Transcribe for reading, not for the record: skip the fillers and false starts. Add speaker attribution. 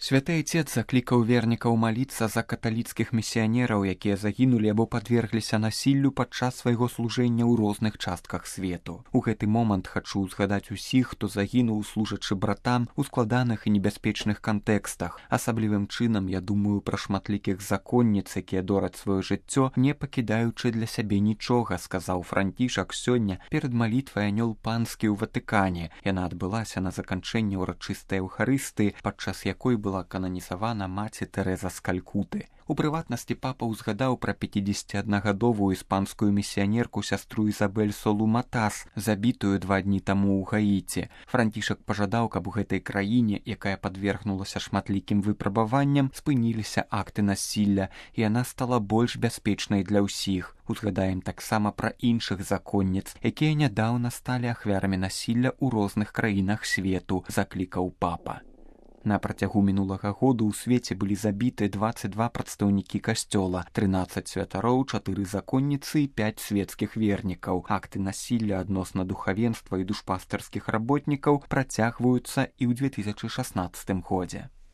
Speaker 1: Святы Айцец заклікаў вернікаў маліцца за каталіцкіх місіянераў, якія загінулі або падвергліся насіллю падчас свайго служэння ў розных частках свету. У гэты момант хачу згадаць усіх, хто загінуў, служачы братам у складаных і небяспечных кантэкстах. Асаблівым чынам я думаю пра шматлікіх законніц, якія дораць сваё жыццё, не пакідаючы для сябе нічога, сказаў Францішак сёння перад малітвай анёл панскі ў Ватыкане. Яна адбылася на заканчэнне ўрачыстай эўхарыстыі, падчас якой была кананізавана маці Тэрэза з Калькуты. У прыватнасці папа ўзгадаў пра 51гадовую іспанскую місіянерку сястру Ізабель Солу Матас, забітую 2 дні таму ў Гаіці. Францішак пажадаў, каб у гэтай краіне, якая падвергнулася шматлікім выпрабаванням, спыніліся акты насілля, і яна стала больш бяспечнай для ўсіх. Узгадаем таксама пра іншых законніц, якія нядаўна сталі ахвярамі насілля ў розных краінах свету, заклікаў папа. На працягу мінулага году ў свеце былі забіты 22 прадстаўнікі касцёла, 13 святароў, 4 законніцы і 5 свецкіх вернікаў. Акты насілля адносна духавенства і душпастарскіх работнікаў працягваюцца і ў 2016 годзе.